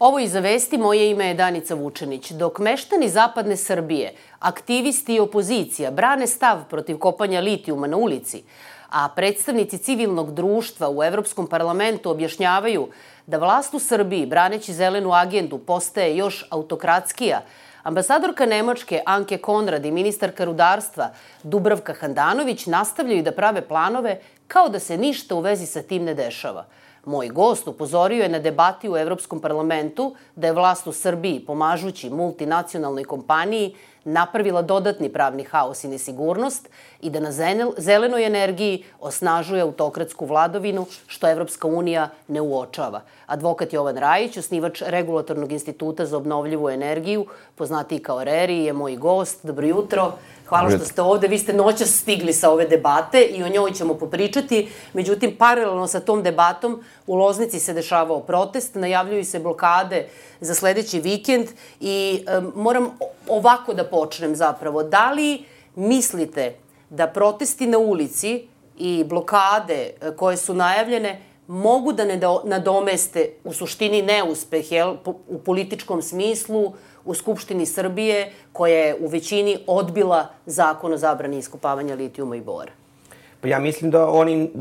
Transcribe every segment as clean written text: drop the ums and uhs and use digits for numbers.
Ovo iza vesti, moje ime je Danica Vučenić. Dok meštani zapadne Srbije, aktivisti i opozicija brane stav protiv kopanja litijuma na ulici, a predstavnici civilnog društva u Evropskom parlamentu objašnjavaju da vlast u Srbiji, braneći zelenu agendu, postaje još autokratskija, ambasadorka Nemačke Anke Konrad i ministarka rudarstva Dubravka Handanović nastavljaju da prave planove kao da se ništa u vezi sa tim ne dešava. Moj gost upozorio je na debati u Evropskom parlamentu da je vlast u Srbiji, pomažući multinacionalnoj kompaniji, napravila dodatni pravni haos i nesigurnost i da na zelenoj energiji osnažuje autokratsku vladovinu, što Evropska unija ne uočava. Advokat Jovan Rajić, osnivač Regulatornog instituta za obnovljivu energiju, poznatiji kao RERI, je moj gost. Dobro jutro. Hvala što ste ovde. Vi ste noćas stigli sa ove debate i o njoj ćemo popričati. Međutim, paralelno sa tom debatom u Loznici se dešavao protest, najavljuju se blokade za sledeći vikend i moram ovako da počnem zapravo. Da li mislite da protesti na ulici i blokade koje su najavljene mogu da nadomeste u suštini neuspeh u političkom smislu u Skupštini Srbije, koja je u većini odbila zakon o zabrani iskopavanja litijuma i bora? Pa ja mislim da oni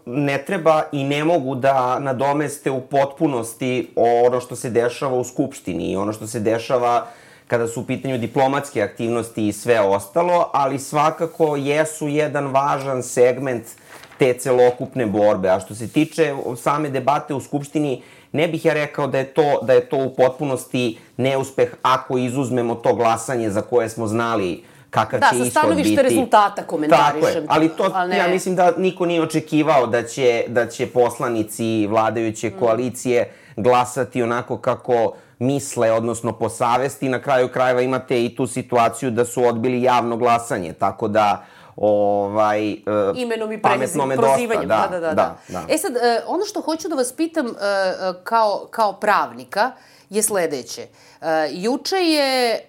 ne treba i ne mogu da nadomeste u potpunosti ono što se dešava u Skupštini i ono što se dešava kada su u pitanju diplomatske aktivnosti i sve ostalo, ali svakako jesu jedan važan segment te celokupne borbe. A što se tiče same debate u Skupštini, ne bih ja rekao da je to u potpunosti neuspeh ako izuzmemo to glasanje za koje smo znali kakav će ishod biti. Da, sa stanovište rezultata komentarišem. Tako je, ali to ja mislim da niko nije očekivao da će poslanici vladajuće koalicije glasati onako kako misle, odnosno po savesti. Na kraju krajeva imate i tu situaciju da su odbili javno glasanje, tako da imenom i pametno me prozivanjem. Da. E sad, ono što hoću da vas pitam kao pravnika je sledeće. Juče je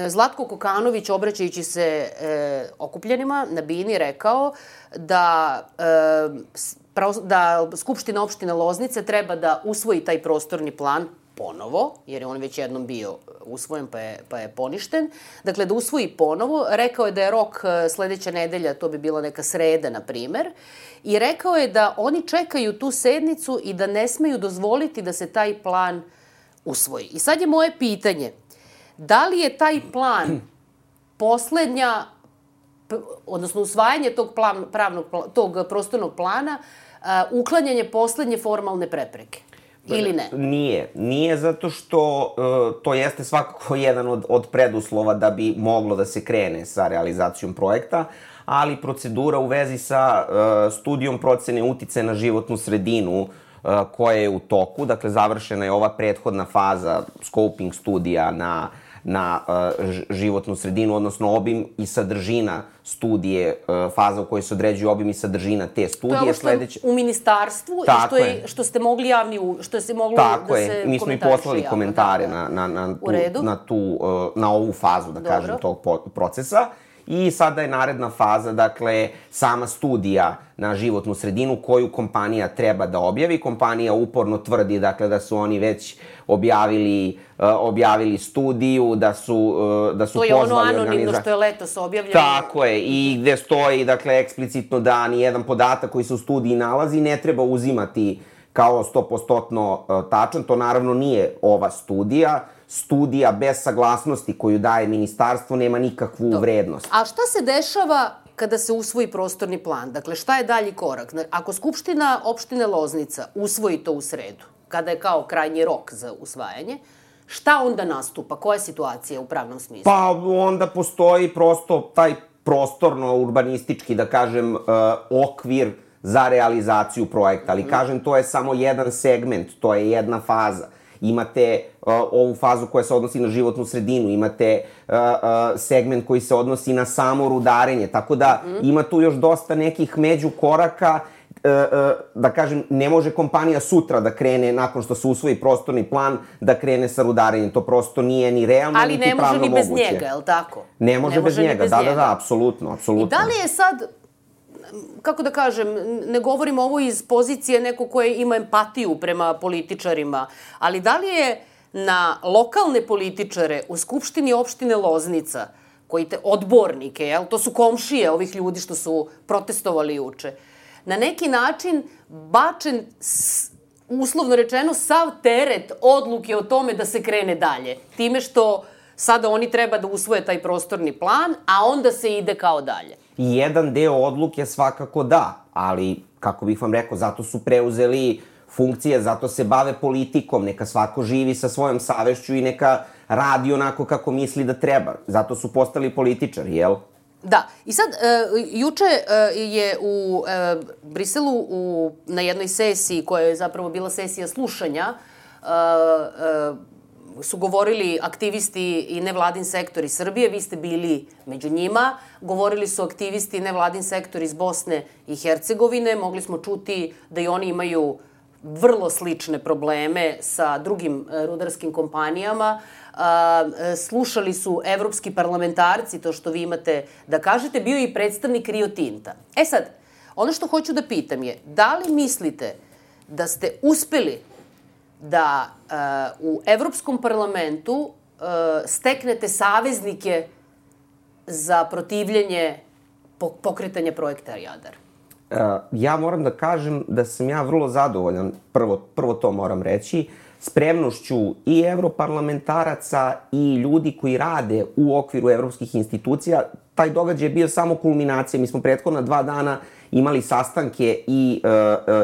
Zlatko Kokanović, obraćajući se okupljenima na Bini, rekao da Skupština opštine Loznice treba da usvoji taj prostorni plan ponovo, jer je on već jednom bio usvojen pa je poništen. Dakle, da usvoji ponovo. Rekao je da je rok sledeća nedelja, to bi bila neka sreda, na primer. I rekao je da oni čekaju tu sednicu i da ne smeju dozvoliti da se taj plan usvoji. I sad je moje pitanje, da li je taj plan poslednja, odnosno usvajanje tog prostornog plana, uklanjanje poslednje formalne prepreke? Ili ne? Nije zato što to jeste svakako jedan od preduslova da bi moglo da se krene sa realizacijom projekta, ali procedura u vezi sa studijom procene uticaja na životnu sredinu koja je u toku, dakle završena je ova prethodna faza scoping studija na životnu sredinu, odnosno obim i sadržina studije, faza u kojoj se određuje obim i sadržina te studije. To je ovo što u ministarstvu i što ste mogli što se moglo da se komentariše javno. Mi smo i poslali komentare na ovu fazu, da kažem, tog procesa. I sada je naredna faza, dakle, sama studija na životnu sredinu koju kompanija treba da objavi. Kompanija uporno tvrdi, dakle, da su oni već objavili studiju, da su pozvali... To je ono anonimno što je letos objavljeno. Tako je, i gde stoji, dakle, eksplicitno da nijedan podatak koji se u studiji nalazi ne treba uzimati kao 100% tačan. To naravno nije ova studija. Studija bez saglasnosti koju daje ministarstvo nema nikakvu vrednost. A šta se dešava kada se usvoji prostorni plan? Dakle, šta je dalji korak? Ako Skupština opštine Loznica usvoji to u sredu, kada je kao krajnji rok za usvajanje, šta onda nastupa? Koja je situacija u pravnom smislu? Pa onda postoji prosto taj prostorno-urbanistički, da kažem, okvir za realizaciju projekta. Ali, kažem, to je samo jedan segment, to je jedna faza. Imate ovu fazu koja se odnosi na životnu sredinu, imate segment koji se odnosi na samo rudarenje, tako da ima tu još dosta nekih međukoraka. Da kažem, ne može kompanija sutra da krene, nakon što se usvoji prostorni plan, da krene sa rudarenjem. To prosto nije ni realno, niti pravno moguće. Ali ne može ni bez njega, je li tako? Ne može bez njega, da, apsolutno. I da li je sad, kako da kažem, ne govorim ovo iz pozicije neko koje ima empatiju prema političarima, ali da li je na lokalne političare u Skupštini opštine Loznica, odbornike, to su komšije ovih ljudi što su protestovali juče, na neki način bačen, uslovno rečeno, sav teret odluke o tome da se krene dalje. Time što sada oni treba da usvoje taj prostorni plan, a onda se ide kao dalje. Jedan deo odluke svakako da, ali, kako bih vam rekao, zato su preuzeli funkcije, zato se bave politikom, neka svako živi sa svojom savešću i neka radi onako kako misli da treba. Zato su postali političari, jel? Da. I sad, juče je u Briselu na jednoj sesiji, koja je zapravo bila sesija slušanja, su govorili aktivisti i nevladin sektor iz Srbije, vi ste bili među njima, govorili su aktivisti i nevladin sektor iz Bosne i Hercegovine, mogli smo čuti da i oni imaju vrlo slične probleme sa drugim rudarskim kompanijama. Slušali su evropski parlamentarci, to što vi imate da kažete, bio je i predstavnik Rio Tinta. E sad, ono što hoću da pitam je, da li mislite da ste uspeli da u Evropskom parlamentu steknete saveznike za protivljenje pokretanja projekta Jadar? Ja moram da kažem da sam ja vrlo zadovoljan, prvo to moram reći, spremnošću i evroparlamentaraca i ljudi koji rade u okviru evropskih institucija. Taj događaj je bio samo kulminacija. Mi smo prethodna 2 dana imali sastanke i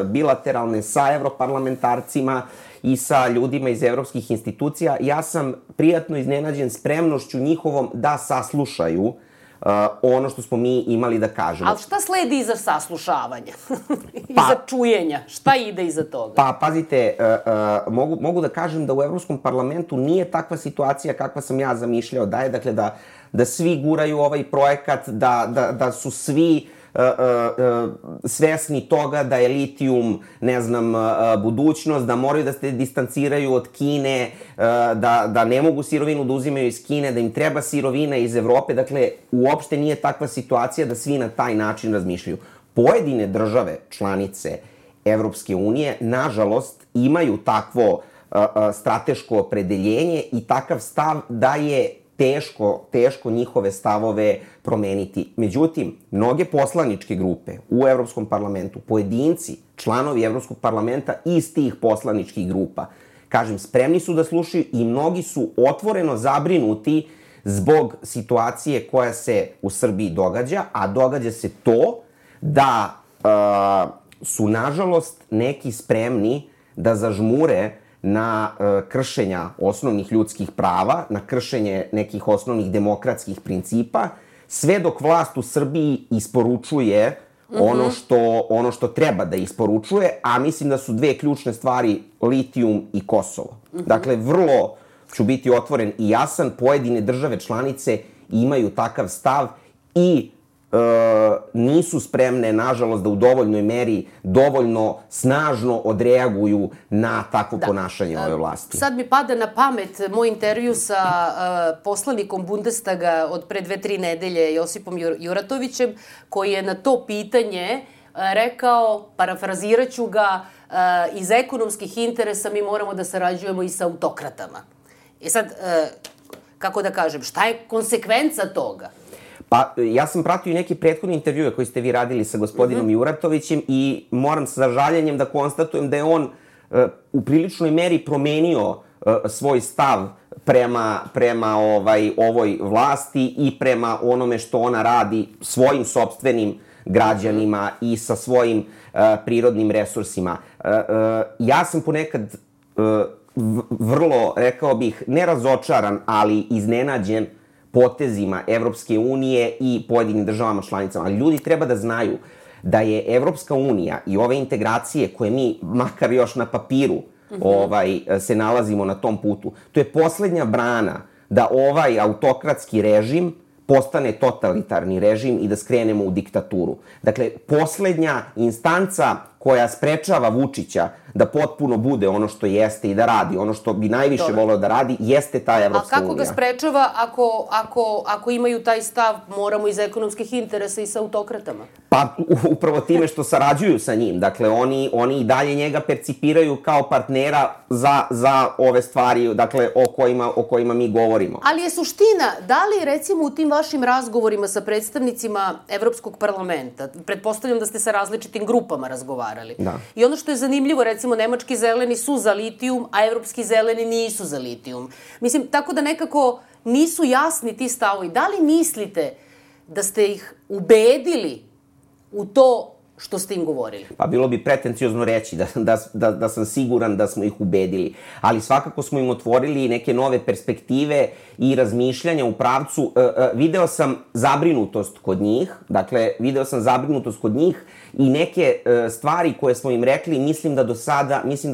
bilateralne sa evroparlamentarcima i sa ljudima iz evropskih institucija. Ja sam prijatno iznenađen spremnošću njihovom da saslušaju ono što smo mi imali da kažemo. Ali šta sledi iza saslušavanja? Iza čujenja? Šta ide iza toga? Pa, pazite, mogu da kažem da u Evropskom parlamentu nije takva situacija kakva sam ja zamišljao da je, dakle, da svi guraju ovaj projekat, da su svi svesni toga da je litijum, ne znam, budućnost, da moraju da se distanciraju od Kine, da ne mogu sirovinu da uzimaju iz Kine, da im treba sirovina iz Evrope. Dakle, uopšte nije takva situacija da svi na taj način razmišljaju. Pojedine države, članice Evropske unije, nažalost, imaju takvo strateško opredeljenje i takav stav da je teško njihove stavove promeniti. Međutim, mnoge poslaničke grupe u Evropskom parlamentu, pojedinci, članovi Evropskog parlamenta iz tih poslaničkih grupa, kažem, spremni su da slušaju i mnogi su otvoreno zabrinuti zbog situacije koja se u Srbiji događa, a događa se to da su, nažalost, neki spremni da zažmure na kršenja osnovnih ljudskih prava, na kršenje nekih osnovnih demokratskih principa, sve dok vlast u Srbiji isporučuje ono što treba da isporučuje, a mislim da su 2 ključne stvari litijum i Kosovo. Dakle, vrlo ću biti otvoren i jasan, pojedine države članice imaju takav stav i nisu spremne, nažalost, da u dovoljnoj meri, dovoljno snažno odreaguju na takvo ponašanje ove vlasti. Sad mi pada na pamet moj intervju sa poslanikom Bundestaga od pre 2-3 nedelje, Josipom Juratovićem, koji je na to pitanje rekao, parafraziraću ga, iz ekonomskih interesa mi moramo da sarađujemo i sa autokratama. I sad, kako da kažem, šta je konsekvenca toga? Pa, ja sam pratio i neke prethodne intervjue koje ste vi radili sa gospodinom Juratovićem i moram sa žaljenjem da konstatujem da je on u priličnoj meri promenio svoj stav prema ovoj vlasti i prema onome što ona radi svojim sopstvenim građanima i sa svojim prirodnim resursima. Ja sam ponekad vrlo, rekao bih, ne razočaran, ali iznenađen potezima Evropske unije i pojedinim državama članicama. Ali ljudi treba da znaju da je Evropska unija i ove integracije koje mi, makar još na papiru, se nalazimo na tom putu, to je poslednja brana da ovaj autokratski režim postane totalitarni režim i da skrenemo u diktaturu. Dakle, poslednja instanca koja sprečava Vučića da potpuno bude ono što jeste i da radi, ono što bi najviše voleo da radi, jeste ta Evropska unija. A kako ga sprečava ako imaju taj stav, moramo iz ekonomskih interesa i sa autokratama? Pa upravo time što sarađuju sa njim. Dakle, oni i dalje njega percipiraju kao partnera za ove stvari, dakle, o kojima mi govorimo. Ali je suština, da li recimo u tim vašim razgovorima sa predstavnicima Evropskog parlamenta, pretpostavljam da ste sa različitim grupama razgovarali. Da. I ono što je zanimljivo, recimo, nemački zeleni su za litijum, a evropski zeleni nisu za litijum. Mislim, tako da nekako nisu jasni ti stavovi. Da li mislite da ste ih ubedili u to što ste im govorili? Pa bilo bi pretenciozno reći da sam siguran da smo ih ubedili. Ali svakako smo im otvorili neke nove perspektive i razmišljanja u pravcu. Video sam zabrinutost kod njih, i neke stvari koje smo im rekli mislim da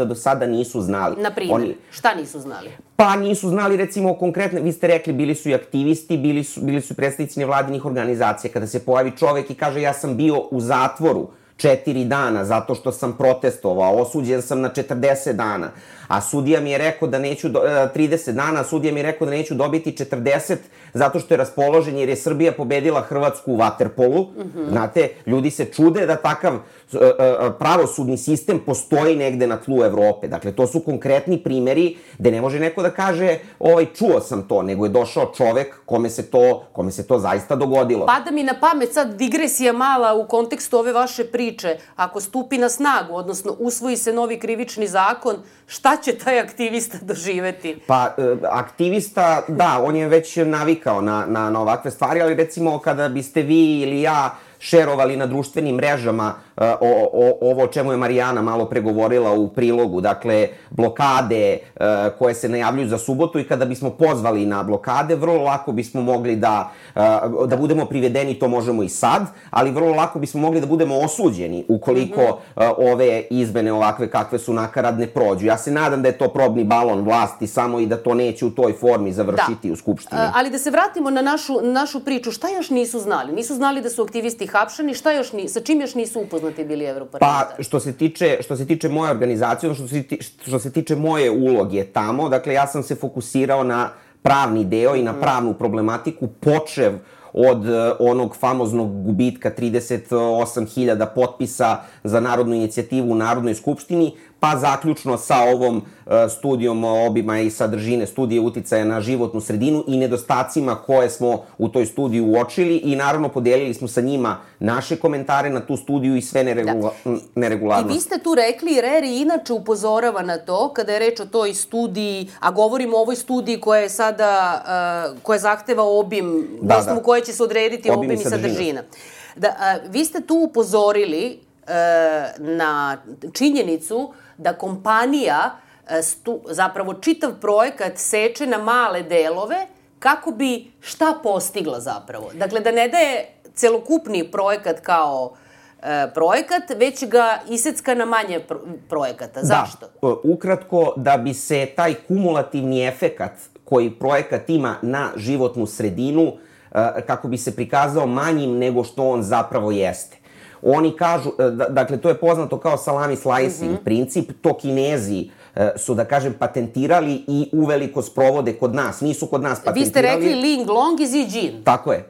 do sada nisu znali. Naprimjer, šta nisu znali? Pa nisu znali, recimo, konkretno, vi ste rekli, bili su i aktivisti, bili su predstavnici nevladinih organizacija. Kada se pojavi čovek i kaže ja sam bio u zatvoru 4 dana zato što sam protestovao, osuđen sam na 40 dana, a sudija mi je rekao da neću, 30 dana, a sudija mi je rekao da neću dobiti 40 zato što je raspoložen jer je Srbija pobedila Hrvatsku u vaterpolu. Znate, ljudi se čude da takav pravosudni sistem postoji negde na tlu Evrope. Dakle, to su konkretni primeri gde ne može neko da kaže čuo sam to, nego je došao čovek kome se to zaista dogodilo. Pada mi na pamet sad digresija mala u kontekstu ove vaše priče. Ako stupi na snagu, odnosno usvoji se novi krivični zakon, šta će taj aktivista doživeti? Pa, aktivista, da, on je već navikao na ovakve stvari, ali recimo kada biste vi ili ja šerovali na društvenim mrežama ovo o čemu je Marijana malo pregovorila u prilogu, dakle, blokade koje se najavljuju za subotu, i kada bismo pozvali na blokade, vrlo lako bismo mogli da budemo privedeni, to možemo i sad, ali vrlo lako bismo mogli da budemo osuđeni ukoliko ove izmene ovakve kakve su nakaradne prođu. Ja se nadam da je to probni balon vlasti samo i da to neće u toj formi završiti u Skupštini. Ali da se vratimo na našu priču, šta još nisu znali? Nisu znali da su aktivisti hapšeni, sa čim još nisu upoznati bili evroparlamentari? Pa, što se tiče moje organizacije, što se tiče moje uloge tamo, dakle, ja sam se fokusirao na pravni deo i na pravnu problematiku, počev od onog famoznog gubitka 38.000 potpisa za narodnu inicijativu u Narodnoj skupštini, pa zaključno sa ovom studijom obima i sadržine studije uticaja na životnu sredinu i nedostacima koje smo u toj studiji uočili, i naravno podelili smo sa njima naše komentare na tu studiju i sve neregularnosti. I vi ste tu rekli, RERI inače upozorava na to, kada je reč o toj studiji, a govorimo o ovoj studiji koja je sada, koja zahteva obim, na osnovu koje će se odrediti obim i sadržina. Vi ste tu upozorili na činjenicu da kompanija zapravo čitav projekat seče na male delove kako bi šta postigla zapravo. Dakle, da ne daje celokupni projekat kao projekat, već ga isecka na manje projekata. Zašto? Da, ukratko, da bi se taj kumulativni efekat koji projekat ima na životnu sredinu, kako bi se prikazao manjim nego što on zapravo jeste. Oni kažu, dakle, to je poznato kao salami slicing princip, to Kinezi su, da kažem, patentirali i uveliko sprovode kod nas. Nisu kod nas patentirali. Vi ste rekli Ling Long i Zijin.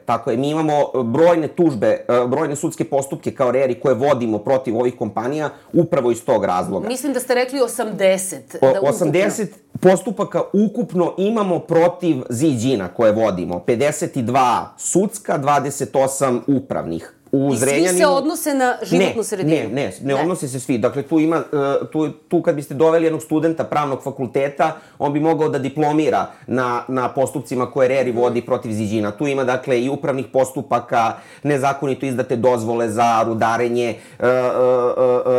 Tako je. Mi imamo brojne tužbe, brojne sudske postupke kao RERI koje vodimo protiv ovih kompanija upravo iz tog razloga. Mislim da ste rekli 80. 80 postupaka ukupno imamo protiv Zijina koje vodimo. 52 sudska, 28 upravnih. I svi se odnose na životnu sredinu? Ne odnose se svi. Dakle, tu kad biste doveli jednog studenta pravnog fakulteta, on bi mogao da diplomira na postupcima koje RERI vodi protiv Zijina. Tu ima, dakle, i upravnih postupaka, nezakonito izdate dozvole za rudarenje,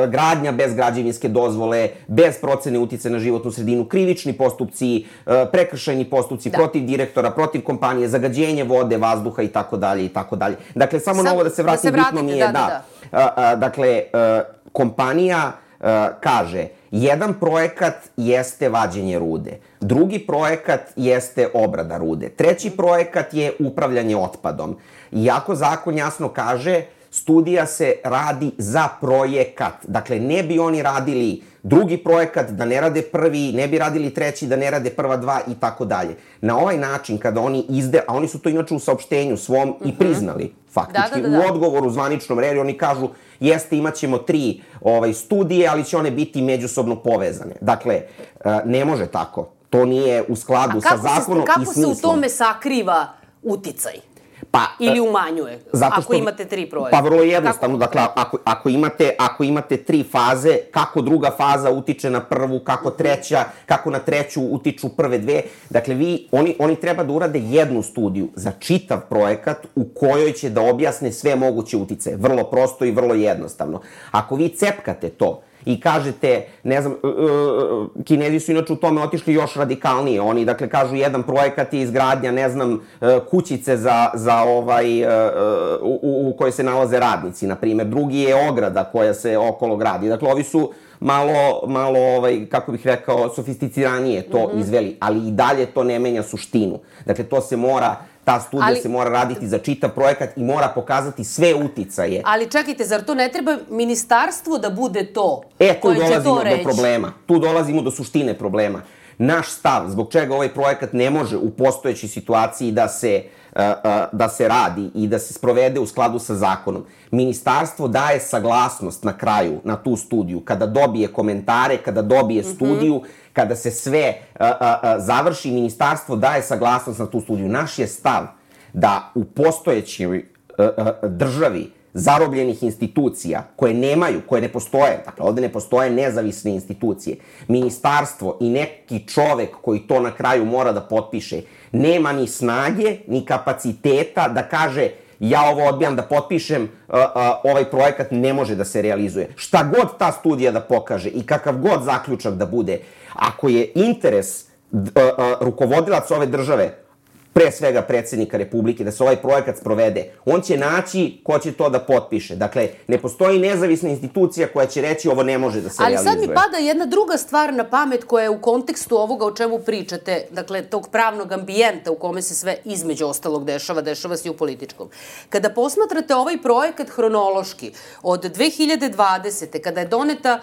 gradnja bez građevinske dozvole, bez procene uticaja na životnu sredinu, krivični postupci, prekršajni postupci protiv direktora, protiv kompanije, zagađenje vode, vazduha itd. Dakle, samo na ovo da se vrati. Bitno mi je dakle, kompanija kaže, jedan projekat jeste vađenje rude, drugi projekat jeste obrada rude, treći projekat je upravljanje otpadom. Iako zakon jasno kaže, studija se radi za projekat. Dakle, ne bi oni radili drugi projekat, da ne rade prvi, ne bi radili treći, da ne rade prva dva i tako dalje. Na ovaj način, kada oni a oni su to inače u saopštenju svom i priznali, faktički. U odgovoru zvaničnom redu oni kažu, jeste, imat ćemo 3 studije, ali će one biti međusobno povezane. Dakle, ne može tako. To nije u skladu sa zakonom i smislom. Kako se u tome sakriva uticaj? Ili umanjuje, ako imate 3 projekta? Pa vrlo jednostavno, dakle, ako imate 3 faze, kako druga faza utiče na prvu, kako na treću utiču prve 2. Dakle, oni treba da urade jednu studiju za čitav projekat u kojoj će da objasne sve moguće uticaje. Vrlo prosto i vrlo jednostavno. Ako vi cepkate to i kažete, ne znam, Kinezi su inače u tome otišli još radikalnije. Oni, dakle, kažu jedan projekat je izgradnja, ne znam, kućice u kojoj se nalaze radnici, na primjer. Drugi je ograda koja se okolo gradi. Dakle, ovi su malo, kako bih rekao, sofisticiranije to izveli, ali i dalje to ne menja suštinu. Dakle, ta studija se mora raditi za čitav projekat i mora pokazati sve uticaje. Ali čekajte, zar to ne treba ministarstvo da bude to koje će to reći? Tu dolazimo do suštine problema. Naš stav, zbog čega ovaj projekat ne može u postojećoj situaciji da se radi i da se sprovede u skladu sa zakonom. Ministarstvo daje saglasnost na kraju na tu studiju, kada dobije komentare, kada dobije studiju, kada se sve završi, ministarstvo daje saglasnost na tu studiju. Naš je stav da u postojećoj državi zarobljenih institucija koje ne postoje, dakle ovde ne postoje nezavisne institucije, ministarstvo i neki čovek koji to na kraju mora da potpiše, nema ni snage, ni kapaciteta da kaže ja ovo odbijam da potpišem, ovaj projekat ne može da se realizuje. Šta god ta studija da pokaže i kakav god zaključak da bude, ako je interes rukovodilac ove države, pre svega predsjednika Republike, da se ovaj projekat sprovede, on će naći ko će to da potpiše. Dakle, ne postoji nezavisna institucija koja će reći ovo ne može da se realizuje. Ali sad mi pada jedna druga stvar na pamet koja je u kontekstu ovoga o čemu pričate, dakle, tog pravnog ambijenta u kome se sve između ostalog dešava se i u političkom. Kada posmatrate ovaj projekat hronološki, od 2020. kada je doneta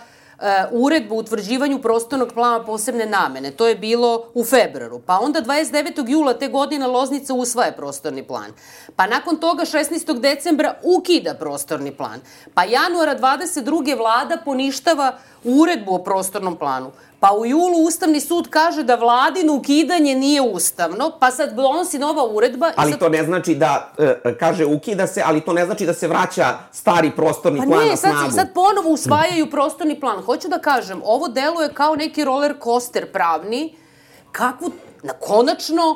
uredbu o utvrđivanju prostornog plana posebne namene. To je bilo u februaru. Pa onda 29. jula te godine Loznica usvaja prostorni plan. Pa nakon toga 16. decembra ukida prostorni plan. Pa januara 22. vlada poništava uredbu o prostornom planu. Pa u julu Ustavni sud kaže da vladino ukidanje nije ustavno, pa sad donosi nova uredba. Ali to ne znači da, kaže ukida se, ali to ne znači da se vraća stari prostorni plan na snagu. Pa ne, sad ponovo usvajaju prostorni plan. Hoću da kažem, ovo deluje kao neki roller coaster pravni, kakvu, konačno,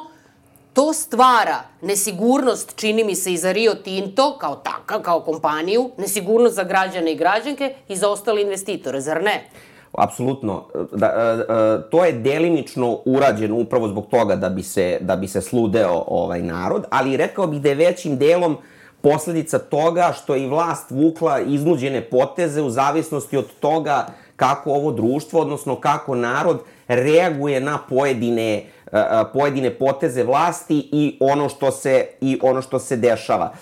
to stvara nesigurnost, čini mi se, i za Rio Tinto, kao takav, kao kompaniju, nesigurnost za građane i građanke i za ostale investitore, zar ne? Apsolutno. To je delimično urađeno upravo zbog toga da bi se sludeo narod, ali rekao bih da je većim delom posledica toga što je i vlast vukla iznuđene poteze u zavisnosti od toga kako ovo društvo, odnosno kako narod reaguje na pojedine poteze vlasti i ono što se dešava.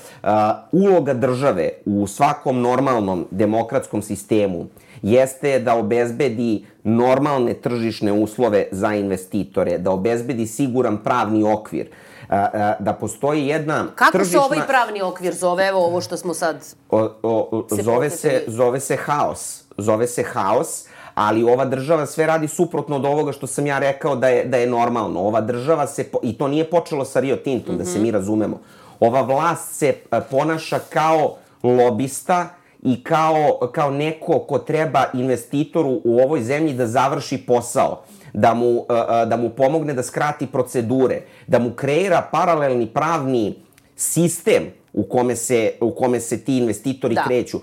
Uloga države u svakom normalnom demokratskom sistemu jeste da obezbedi normalne tržišne uslove za investitore, da obezbedi siguran pravni okvir, da postoji jedna tržišna... Kako se ovaj pravni okvir zove, evo ovo što smo sad... Zove se haos. Zove se haos, ali ova država sve radi suprotno od ovoga što sam ja rekao da je normalno. Ova država se, i to nije počelo sa Rio Tintom, da se mi razumemo, ova vlast se ponaša kao lobista i kao neko ko treba investitoru u ovoj zemlji da završi posao, da mu pomogne da skrati procedure, da mu kreira paralelni pravni sistem u kome se ti investitori kreću.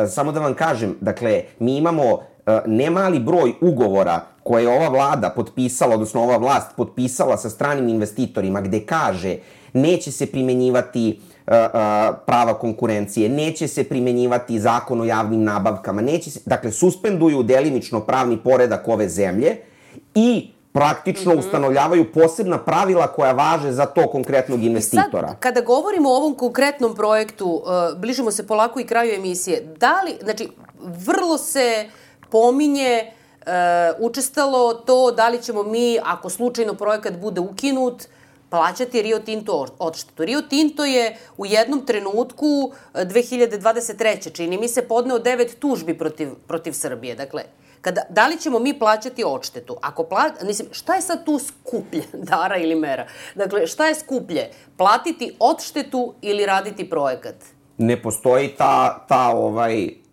Samo da vam kažem, dakle, mi imamo nemali broj ugovora koje je ova vlada potpisala, odnosno ova vlast potpisala sa stranim investitorima, gde kaže neće se primenjivati prava konkurencije, neće se primenjivati zakon o javnim nabavkama, dakle, suspenduju delimično pravni poredak ove zemlje i praktično ustanovljavaju posebna pravila koja važe za to konkretnog investitora. I sad, kada govorimo o ovom konkretnom projektu, bližimo se polako i kraju emisije, znači, vrlo se pominje učestalo to da li ćemo mi, ako slučajno projekat bude ukinut, plaćati Rio Tinto odštetu. Rio Tinto je u jednom trenutku 2023. čini mi se podneo 9 tužbi protiv Srbije. Dakle, da li ćemo mi plaćati odštetu? Mislim, šta je sad tu skuplje, Dara ili Mera? Dakle, šta je skuplje? Platiti odštetu ili raditi projekat? Ne postoji ta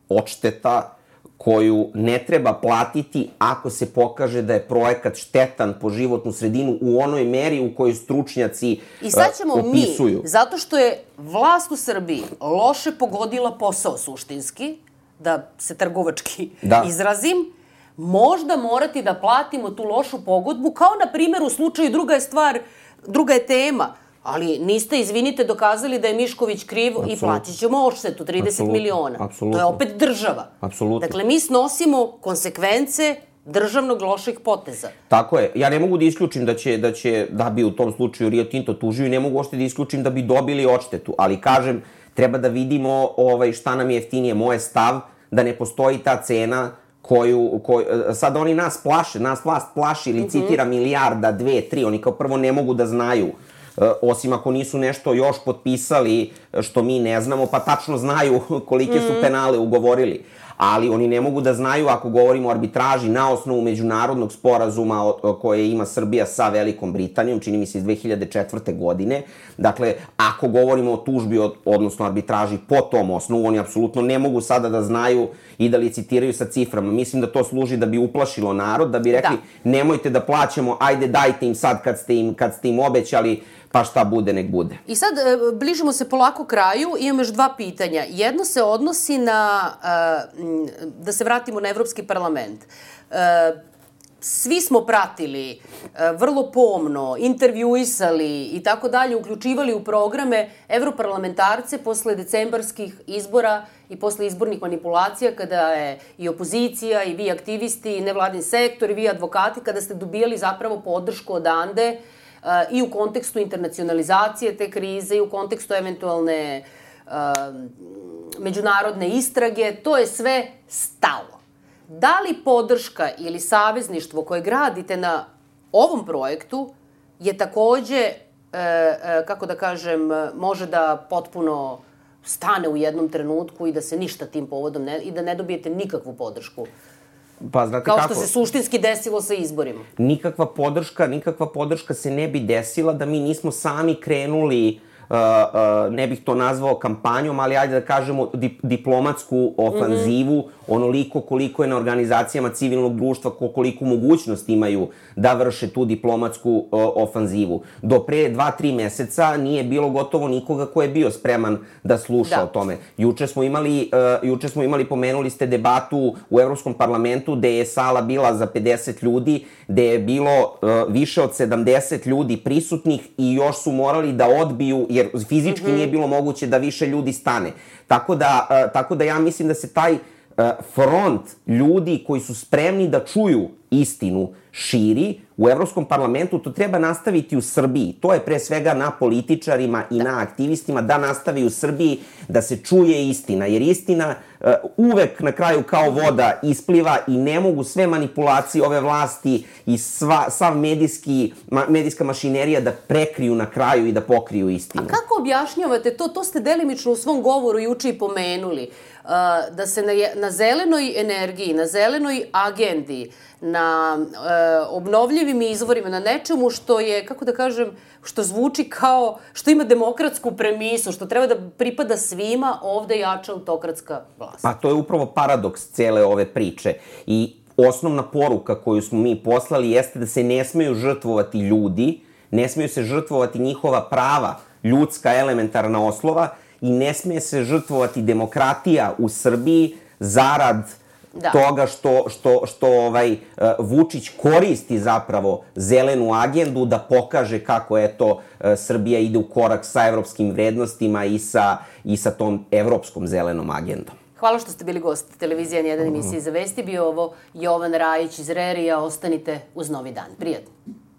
odšteta koju ne treba platiti ako se pokaže da je projekat štetan po životnu sredinu u onoj meri u kojoj stručnjaci opisuju. I sad ćemo mi, zato što je vlast u Srbiji loše pogodila posao suštinski, da se trgovački izrazim, možda morati da platimo tu lošu pogodbu, kao na primjer u slučaju druga je tema, ali niste, izvinite, dokazali da je Mišković kriv i platit ćemo odštetu, 30 miliona. To je opet država. Dakle, mi snosimo konsekvence državnog loših poteza. Tako je. Ja ne mogu da isključim da bi u tom slučaju Rio Tinto tužio i ne mogu ošte da isključim da bi dobili odštetu, ali kažem, treba da vidimo šta nam je jeftinije. Moj stav da ne postoji ta cena sad oni nas plaše, nas vlast plaši ili citira milijarda, 2, 3, oni kao prvo ne mogu da znaju, osim ako nisu nešto još potpisali što mi ne znamo, pa tačno znaju kolike su penale ugovorili. Ali oni ne mogu da znaju, ako govorimo o arbitraži na osnovu međunarodnog sporazuma koje ima Srbija sa Velikom Britanijom, čini mi se iz 2004. godine. Dakle, ako govorimo o tužbi, odnosno arbitraži po tom osnovu, oni apsolutno ne mogu sada da znaju i da licitiraju sa ciframa. Mislim da to služi da bi uplašilo narod, da bi rekli nemojte da plaćamo, ajde dajte im sad kad ste im obećali, pa šta bude, nek bude. I sad, bližimo se polako kraju, imam još 2 pitanja. Jedno se odnosi na, da se vratimo na Evropski parlament. Svi smo pratili, vrlo pomno, intervjuisali i tako dalje, uključivali u programe evroparlamentarce posle decembarskih izbora i posle izbornih manipulacija, kada je i opozicija, i vi aktivisti, i nevladin sektor, i vi advokati, kada ste dobijali zapravo podršku odande i u kontekstu internacionalizacije te krize i u kontekstu eventualne međunarodne istrage, to je sve stalo. Da li podrška ili savezništvo koje gradite na ovom projektu je takođe, kako da kažem, može da potpuno stane u jednom trenutku i da se ništa tim povodom i da ne dobijete nikakvu podršku? Pa, znate kako? Kao što se suštinski desilo sa izborima. Nikakva podrška se ne bi desila da mi nismo sami krenuli, ne bih to nazvao kampanjom, ali ajde da kažemo diplomatsku ofanzivu, onoliko koliko je na organizacijama civilnog društva, koliko mogućnost imaju da vrše tu diplomatsku ofanzivu. Do pre 2-3 meseca nije bilo gotovo nikoga ko je bio spreman da sluša o tome. Juče smo imali, pomenuli ste debatu u Evropskom parlamentu, gde je sala bila za 50 ljudi, gde je bilo više od 70 ljudi prisutnih i još su morali da odbiju, jer fizički nije bilo moguće da više ljudi stane. Tako da ja mislim da se taj front ljudi koji su spremni da čuju istinu širi u Evropskom parlamentu, to treba nastaviti u Srbiji. To je pre svega na političarima i na aktivistima da nastavi u Srbiji da se čuje istina, jer istina uvek na kraju kao voda ispliva i ne mogu sve manipulacije ove vlasti i sav medijska mašinerija da prekriju na kraju i da pokriju istinu. A kako objašnjavate to? To ste delimično u svom govoru juče i pomenuli. Da se na zelenoj energiji, na zelenoj agendi, na obnovljivim izvorima, na nečemu što je, kako da kažem, što zvuči kao, što ima demokratsku premisu, što treba da pripada svima, ovde jača autokratska vlast. Pa to je upravo paradoks cele ove priče. I osnovna poruka koju smo mi poslali jeste da se ne smeju žrtvovati ljudi, ne smeju se žrtvovati njihova prava, ljudska elementarna oslova, i ne smije se žrtvovati demokratija u Srbiji zarad toga što Vučić koristi zapravo zelenu agendu da pokaže kako Srbija ide u korak sa evropskim vrednostima i sa tom evropskom zelenom agendom. Hvala što ste bili gost televizije N1 emisije za vesti. Bio ovo Jovan Rajić iz Rerija. Ostanite uz Novi dan. Prijatno.